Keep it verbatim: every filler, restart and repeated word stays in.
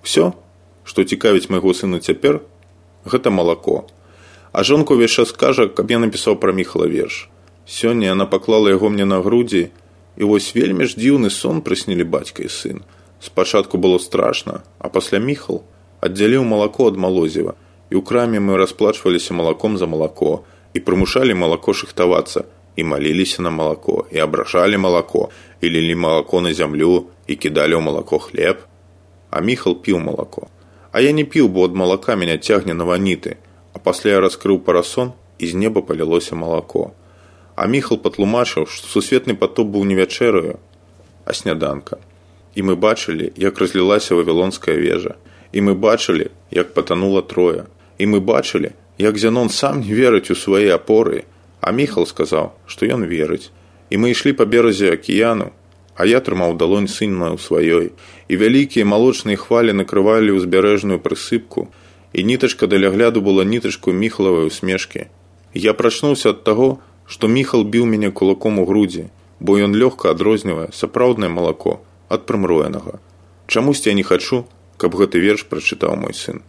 Усё, што цікавіць майго сына цяпер, гэта малако. А жонка ўвесь час кажа, каб я напісаў пра Міхала верш. Сёння яна паклала яго мне на грудзі, і вось вельмі ж дзіўны сон прыснілі бацька і сын. Спачатку было страшна, а пасля Міхал аддзяліў малако ад малозіва, і ў краме мы расплачваліся малаком за малако, і прымушалі малако шыхтавацца, і маліліся на малако, і абражалі малако, і лілі малако на зямлю, і кідалі ў малако хлеб. А Міхал піў малако. А я не піў, бо ад малака мяне цягне на ваніты, а пасля я раскрыў парасон, і з неба палілося малако. А Міхал патлумачыў, што сусветны патоп быў не вячэраю, а сняданка. І мы бачылі, як разлілася Вавілонская вежа. І мы бачылі, як патанула Троя. І мы бачылі, як Зянон сам не верыць у свае апоры, а Міхал сказаў, што ён верыць. І мы ішлі па беразе акіяну, а я трымаў далонь сына ў сваёй, і вялікія малочныя хвалі накрывалі ўзбярэжную прысыпку, і нітачка для гляду была нітачкой Міхалавай усмешкі. Я прачнуўся ад таго, што Міхал біў мяне кулаком у грудзі, бо ён лёгка адрознівае сапраўднае малако ад прымроенага. Чамусьці я не хачу, каб гэты верш прачытаў мой сын.